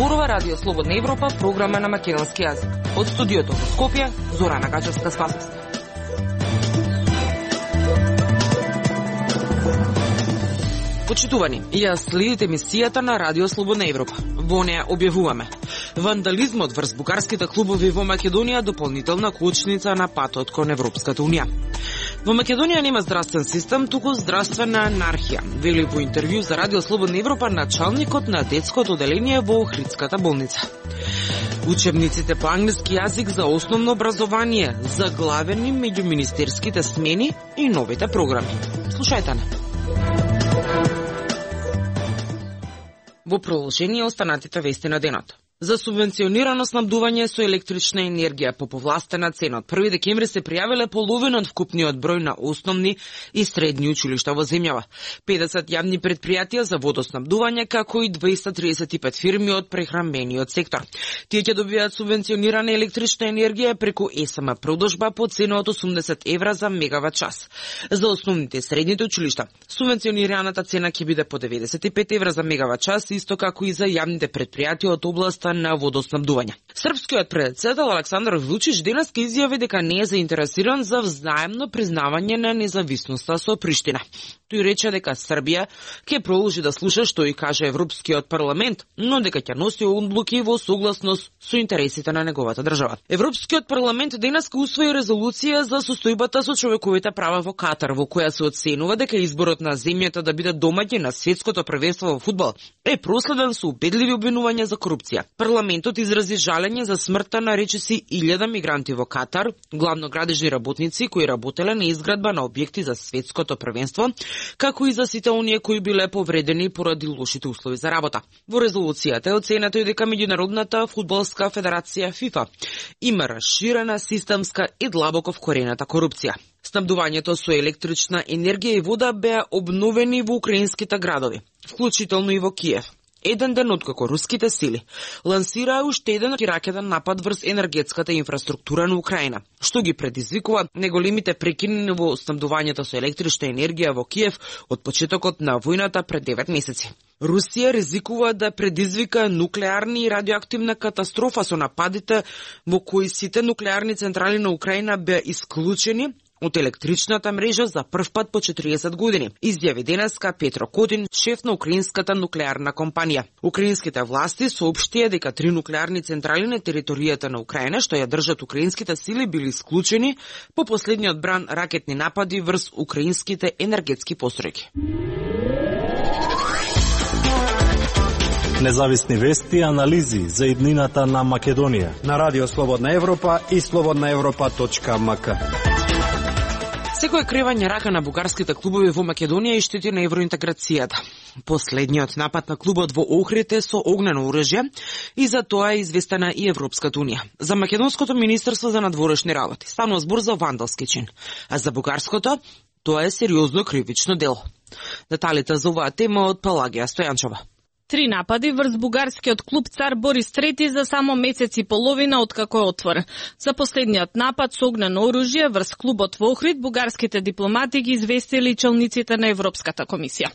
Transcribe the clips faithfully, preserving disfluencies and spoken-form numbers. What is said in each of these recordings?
зборува Радио Слободна Европа, програма на македонски јазик. Од студиото во Скопје, Зорана Гачевска-Спасовска. Почитувани, ја следите емисијата на Радио Слободна Европа. Во неја објавуваме: вандализмот врз бугарските клубови во Македонија дополнителна кочница на патот кон Европската унија. Во Македонија нема здравствен систем, туку здравствена анархија, вели во интервју за Радио Слободна Европа началникот на детското оделение во Охридската болница. Учебниците по англиски јазик за основно образование, заглавени меѓу министерските смени и новите програми. Слушајте не. Во продолжение останатите вести на денот. За субвенционирано снабдување со електрична енергија по повластена цена од први декември се пријавиле половина од вкупниот број на основни и средни училишта во земјава. педесет јавни претпријатија за водоснабдување, како и двеста триесет и пет фирми од прехранбениот сектор. Тие ќе добијаат субвенционирана електрична енергија преку ес ем продажба по цена од осумдесет евра за мегават час. За основните и средните училишта субвенционираната цена ќе биде по деветдесет и пет евра за мегават час, исто како и за јавните претпријатија од областа на водоснабдување. Српскиот председател Александар Вучич денес ке изјави дека не е заинтересиран за взаемно признавање на независноста со Приштина. Тој рече дека Србија ќе продолжи да слуша што и каже Европскиот парламент, но дека ќе носи одлуки во согласност со интересите на неговата држава. Европскиот парламент денес ке усвои резолуција за состојбата со човековите права во Катар, во која се оценува дека изборот на земјата да биде домаќин на светското првенство во фудбал е проследен со убедливи обвинувања за корупција. Парламентот изрази жалење за смртта на речиси илјада мигранти во Катар, главно градежни работници кои работеле на изградба на објекти за светското првенство, како и за сите оние кои биле повредени поради лошите услови за работа. Во резолуцијата е оценето и дека Меѓународната фудбалска федерација ФИФА има расширена системска и длабоко вкорената корупција. Снабдувањето со електрична енергија и вода беа обновени во украинските градови, вклучително и во Киев. Еден ден откако руските сили лансираа уште еден ракетен напад врз енергетската инфраструктура на Украина, што ги предизвикува неголемите прекини во снабдувањето со електрична енергија во Киев од почетокот на војната пред девет месеци. Русија ризикува да предизвика нуклеарни и радиоактивна катастрофа со нападите во кои сите нуклеарни централи на Украина беа исклучени од електричната мрежа за прв пат по четириесет години, изјави денеска Петро Котин, шеф на украинската нуклеарна компанија. Украинските власти соопштија дека три нуклеарни централи на територијата на Украина, што ја држат украинските сили, били исклучени по последниот бран ракетни напади врз украинските енергетски постројки. Независни вести и анализи за иднината на Македонија на Радио Слободна Европа и слободна европа точка ем ка. Секој кревање рака на бугарските клубови во Македонија и штети на евроинтеграцијата. Последниот напад на клубот во Охрид е со огнено оружје и за тоа е известена и Европската унија. За Македонското министерство за надворешни работи станува збор за вандалски чин, а за бугарското тоа е сериозно кривично дело. Деталите за оваа тема од Пелагија Стојанчова. Три напади врз бугарскиот клуб Цар Борис трети за само месец и половина откако е отворен. За последниот напад со огнено оружје врз клубот во Охрид бугарските дипломати ги известили челниците на Европската комисија.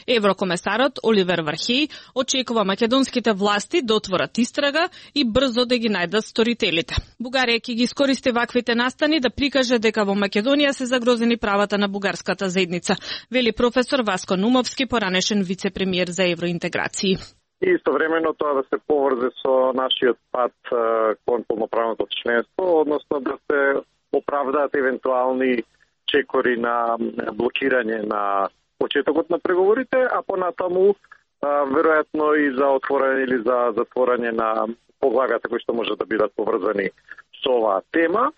Еврокомесарот Оливер Вархеј очекува македонските власти да отворат истрага и брзо да ги најдат сторителите. Бугарија ќе ги искористи ваквите настани да прикаже дека во Македонија се загрозени правата на бугарската заедница, вели професор Васко Нумовски, поранешен вице-премиер за евроинтеграција. И истовремено тоа да се поврзе со нашиот пат кон полноправното членство, односно да се оправдаат евентуални чекори на блокирање на почетокот на преговорите, а понатаму веројатно и за отворање или за затворање на поглавјата кои што може да бидат поврзани со оваа тема.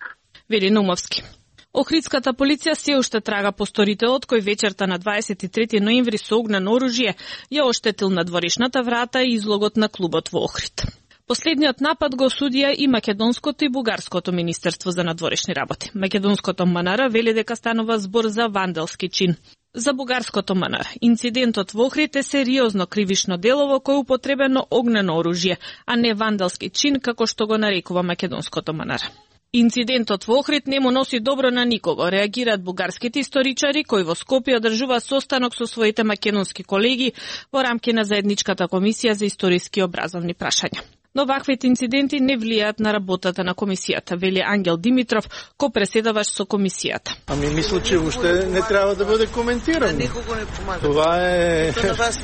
Вели Нумовски. Охридската полиција се уште трага по сторителот кој вечерта на дваесет и трети ноември со огнено оружје ја оштетил надворешната врата и излогот на клубот во Охрид. Последниот напад го осудија и македонското и бугарското министерство за надворешни работи. Македонското МНР вели дека станува збор за вандалски чин. За бугарското МНР, инцидентот во Охрид е сериозно кривишно дело во кој употребено огнено оружје, а не вандалски чин како што го нарекува македонското МНР. Инцидентот во Охрид не му носи добро на никого, реагираат бугарските историчари кои во Скопје одржува состанок со своите македонски колеги во рамки на заедничката комисија за историски и образовни прашања. Но ваквите инциденти не влијаат на работата на комисијата, вели Ангел Димитров, ко-преседаваш со комисијата. Ами мисля, че уште не треба да биде коментирано. Никого не помага. Това е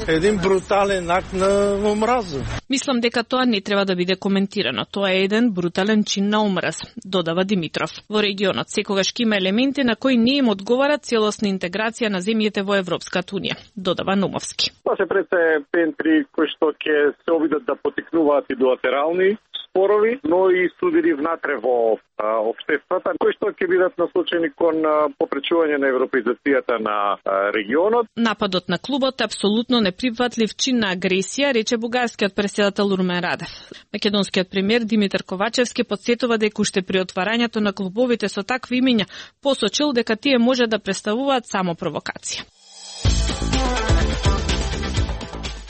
еден брутален акт на омраза. Мислам дека тоа не треба да биде коментирано. Тоа е еден брутален чин на омраз, додава Димитров. Во регионот секогаш ќе има елементи на кои не им одговара целосна интеграција на земјите во Европската унија, додава Номовски. Тоа се пред пентри кои што ќе се обидат да потикнуваат и билатерални спорови, но и судири внатре во а, општествата, кои што ќе бидат насочени кон а, попречување на европеизацијата на а, регионот. Нападот на клубот е апсолутно неприфатлив чин на агресија, рече бугарскиот преседател Румен Радев. Македонскиот премиер Димитар Ковачевски подсетува дека уште при отварањето на клубовите со такви имиња посочил дека тие може да представуваат само провокација.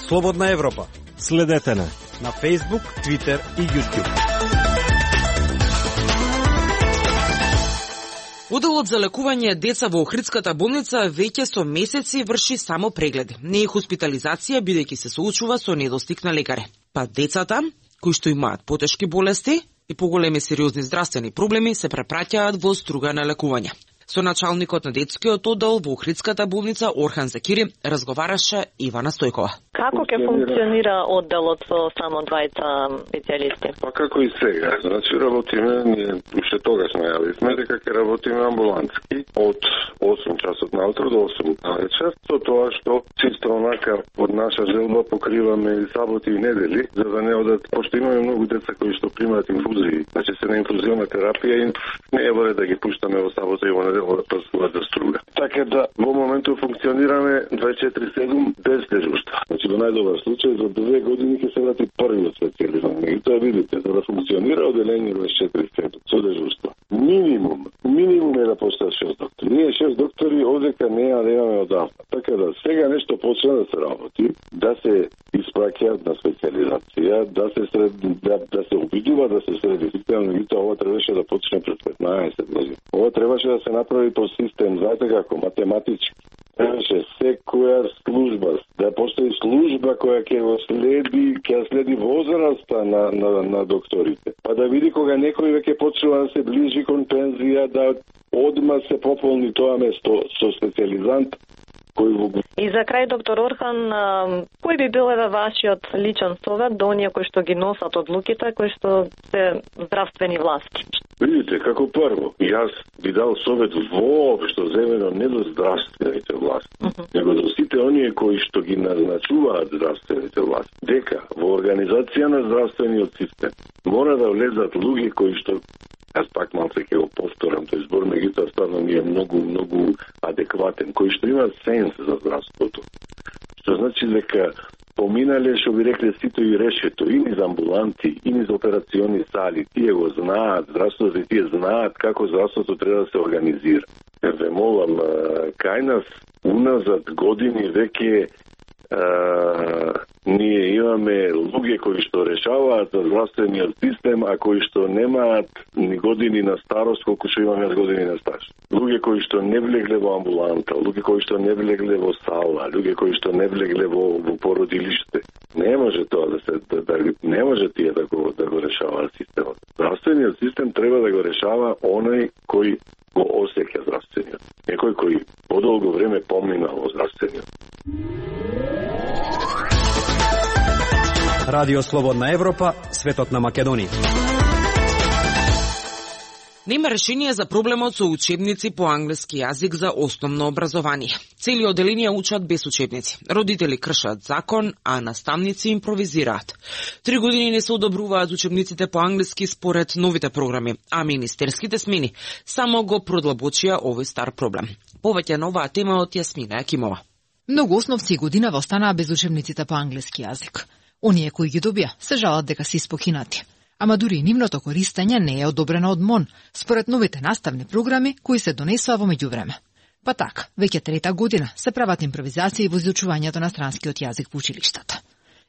Слободна Европа. Следете не На Facebook, Twitter и YouTube. Оделот за лекување деца во Охридската болница веќе со месеци врши само прегледи, не и хоспитализација, бидејќи се соочува со недостиг на лекари. Па децата, кои што имаат потешки болести и поголеми сериозни здравствени проблеми, се препраќаат во струга на лекување. Со началникот на детскиот оддел во Охридската болница Орхан Закири разговараше Ивана Стојкова. Како ќе функционира одделот со само двајца специјалисти? Па како и сега. Значи работиме, ние уште тогаш најавивме дека ќе работиме амбулантски од осум часот наутро до осум навечер, со тоа што чисто онака од наша желба покриваме и саботи и недели, за да не одат, пошто имаме многу деца кои што примаат инфузии, значи се на инфузионна терапија и не е во ред да ги пуштаме во сабота и во неделя да прсуваат за струга. Така да во моментот функционираме дваесет и четири седум без дежурства. Значи во најдобар случај за две години ќе се врати првиот специјалист. И тоа видите, за да функционира одделение дваесет и четири седум со дежурство. Минимум, минимум е да постојат шест доктори. Ние шест доктори одека неа да имаме одавна. Така да сега нешто почна да се работи, да се испраќаат на специјализација, да се сред, да, да се обидува да се средификално, и тоа ова требаше да почне пред петнаесет години. Ова требаше да се направи по систем, знаете како, математички. Требаше секоја служба, да постои служба која ќе го следи, ќе следи возраста на, на, на докторите. Па да види кога некој веќе почнува да се ближи кон пензија, да одма се пополни тоа место со специјализант. И за крај, доктор Орхан, кој би бил еве вашиот личен совет до оние кои што ги носат одлуките, кои што се здравствени власти? Видите, како прво, јас би дал совет воопшто земено не до здравствените власти, uh -huh. него до сите оние кои што ги назначуваат здравствените власти, дека во организација на здравствениот систем мора да влезат луѓе кои што, јас пак малце ќе го повторам, тој збор меѓутоа стварно ми е многу, многу адекватен, кои што имаат сенс за здравството. Што значи дека поминале, што би рекле, сито и решето, и низ амбуланти, и низ операциони сали, тие го знаат, здравството и тие знаат како здравството треба да се организира. Ве молам, кај нас, уназад години веќе Uh, ние имаме луѓе кои што решаваат за здравствениот систем, а кои што немаат ни години на старост колку што имаме години на стаж. Луѓе кои што не влегле во амбуланта, луѓе кои што не влегле во сала, луѓе кои што не влегле во, во породилиште. Не може тоа да се да, да не може тие да го да го решаваат системот. Здравствениот систем треба да го решава оној кој го осеќа здравствениот. Некој кој подолго време поминал во здравствениот. Радио Слободна Европа, светот на Македонија. Нема решение за проблемот со учебници по англиски јазик за основно образование. Цели одделенија учат без учебници. Родители кршат закон, а наставници импровизираат. Три години не се одобруваат учебниците по англиски според новите програми, а министерските смени само го продлабочија овој стар проблем. Повеќе на оваа тема од Јасмина Акимова. Многу основци година останаа без учебниците по англиски јазик. Оние кои ги добија се жалат дека се испокинати. Ама дури нивното користење не е одобрено од МОН, според новите наставни програми кои се донесува во меѓувреме. Па така, веќе трета година се прават импровизации во изучувањето на странскиот јазик во училиштата.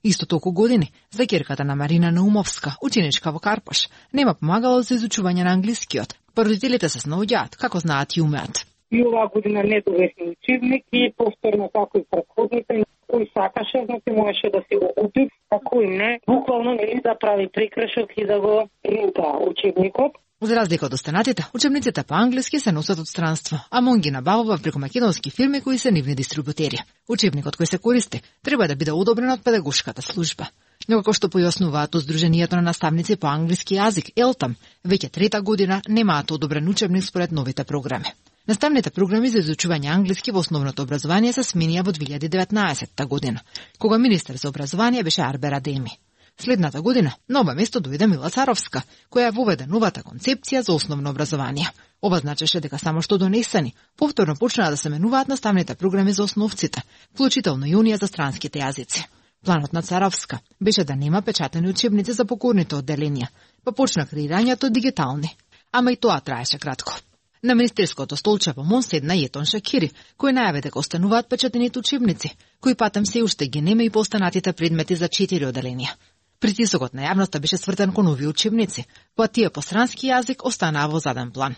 Исто толку години за ќерката на Марина Наумовска, ученичка во Карпош, нема помагало за изучување на англискиот. Родителите се снаоѓаат како знаат и умеат. И оваа година не довесни учебник и повторно како и претходните, кој сакаше, значи можеше да се го купи, а кој не, буквално нели да прави прекршок и да го ринта учебникот. За разлика од останатите, учебниците по англиски се носат од странство, а МОН ги набавува преку македонски фирми кои се нивни дистрибутери. Учебникот кој се користи треба да биде одобрен од педагошката служба. Но како што појаснуваат од Сдруженијето на наставници по англиски јазик, ЕЛТАМ, веќе трета година немаат одобрен учебник според новите програми. Наставните програми за изучување англиски во основното образование се сменија во две илјади и деветнаесетта година, кога министер за образование беше Арбер Адеми. Следната година на ова место дојде Мила Царовска, која воведе новата концепција за основно образование. Ова значеше дека само што донесени, повторно почнаа да се менуваат наставните програми за основците, вклучително и унија за странските јазици. Планот на Царовска беше да нема печатени учебници за покорните одделенија, па почна креирањето дигитални. Ама и тоа траеше кратко. На министерското столче во МОН седна Јетон Шакири, кој најави дека остануваат печатените учебници, кои патем се уште ги нема и по останатите предмети за четири одделенија. Притисокот на јавноста беше свртен кон овие учебници, па тие по странски јазик останаа во заден план.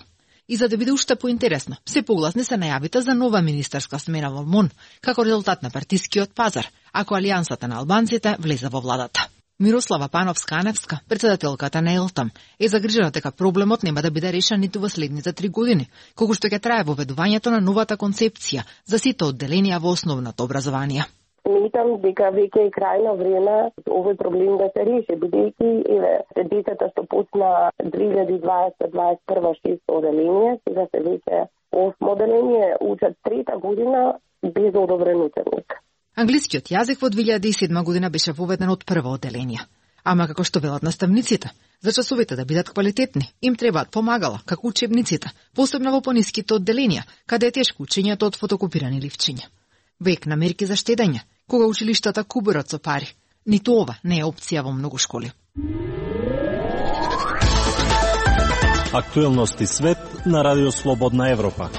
И за да биде уште поинтересно, се погласни се најавите за нова министерска смена во МОН, како резултат на партискиот пазар, ако Алијансата на албанците влезе во владата. Мирослава Пановска-Аневска, председателката на ЕЛТАМ, е загрижена дека проблемот нема да биде решен ниту во следните три години, колку што ќе трае воведувањето на новата концепција за сите одделенија во основното образование. Митам дека веќе е крајно време овој проблем да се реши, бидејќи еве децата што почна две илјади и дваесета до дваесет и прва шесто одделение, сега се веќе осмо одделение, учат трета година без одобрен учебник. Англискиот јазик во две илјади и седма година беше воведен од прва одделение. Ама како што велат наставниците, за часовите да бидат квалитетни, им требаат помагала, како учебниците, посебно во пониските одделенија, каде е тешко учењето од фотокопирани ливчиња. Век на мерки за штедење, кога училиштата кубурат со пари. Ниту ова не е опција во многу школи. Актуелности свет на Радио Слободна Европа.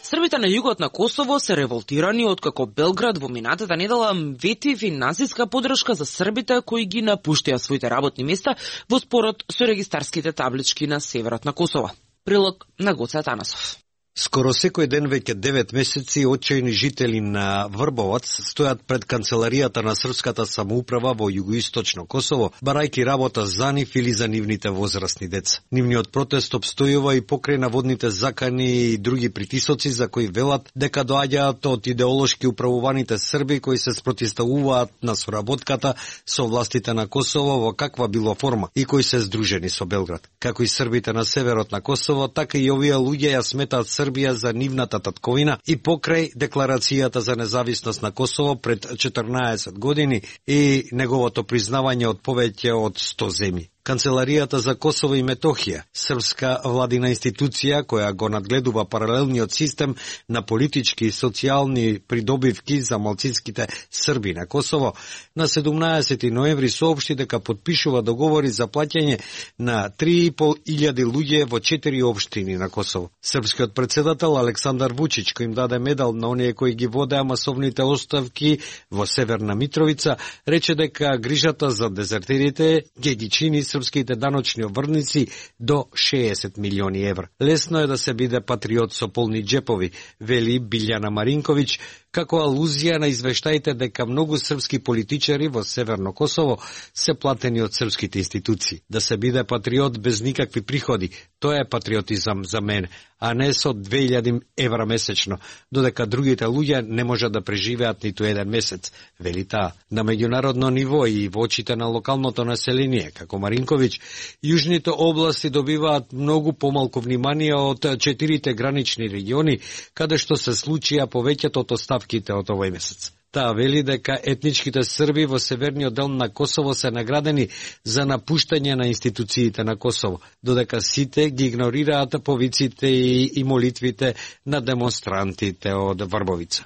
Србите на југот на Косово се револтирани откако Белград во минатата недела вети финансиска поддршка за србите кои ги напуштија своите работни места во спорот со регистарските таблички на северот на Косово. Прилог на Гоце Атанасов. Скоро секој ден веќе девет месеци очајни жители на Врбовац стојат пред канцеларијата на српската самоуправа во југоисточно Косово, барајки работа за нив или за нивните возрастни деца. Нивниот протест обстојува и покрај наводните закани и други притисоци за кои велат дека доаѓаат од идеолошки управуваните срби кои се спротивставуваат на соработката со властите на Косово во каква било форма и кои се здружени со Белград. Како и србите на северот на Косово, така и овие луѓе ја сметаат Србија за нивната татковина и покрај декларацијата за независност на Косово пред четрнаесет години и неговото признавање од повеќе од сто земји. Канцеларијата за Косово и Метохија, српска владина институција која го надгледува паралелниот систем на политички и социјални придобивки за малцинските срби на Косово, на седумнаесети ноември соопшти дека подпишува договори за плаќање на три и пол илјади луѓе во четири општини на Косово. Српскиот председател Александар Вучич, кој им даде медал на оние кои ги водеа масовните оставки во Северна Митровица, рече дека грижата за дезертерите ќе ги чини српските даночни обврници до шеесет милиони евра. Лесно е да се биде патриот со полни джепови, вели Билјана Маринковиќ, како алузија на извештаите дека многу српски политичари во Северно Косово се платени од српските институции. Да се биде патриот без никакви приходи, тоа е патриотизам за мене, а не со две илјади евра месечно, додека другите луѓе не можат да преживеат ниту еден месец, вели таа. На меѓународно ниво и во очите на локалното население, како Маринковиќ, јужните области добиваат многу помалку внимание од четирите гранични региони, каде што се случија повеќето од оставките од овој месец. Таа вели дека етничките срби во северниот дел на Косово се наградени за напуштање на институциите на Косово, додека сите ги игнорираат повиците и, и молитвите на демонстрантите од Врбовица.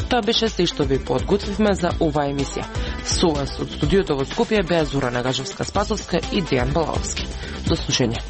Тоа беше се што ви подготвивме за оваа емисија. Со вас од студиото во Скопје беа Зора Нагажевска-Спасовска и Дејан Балаовски. До слушање.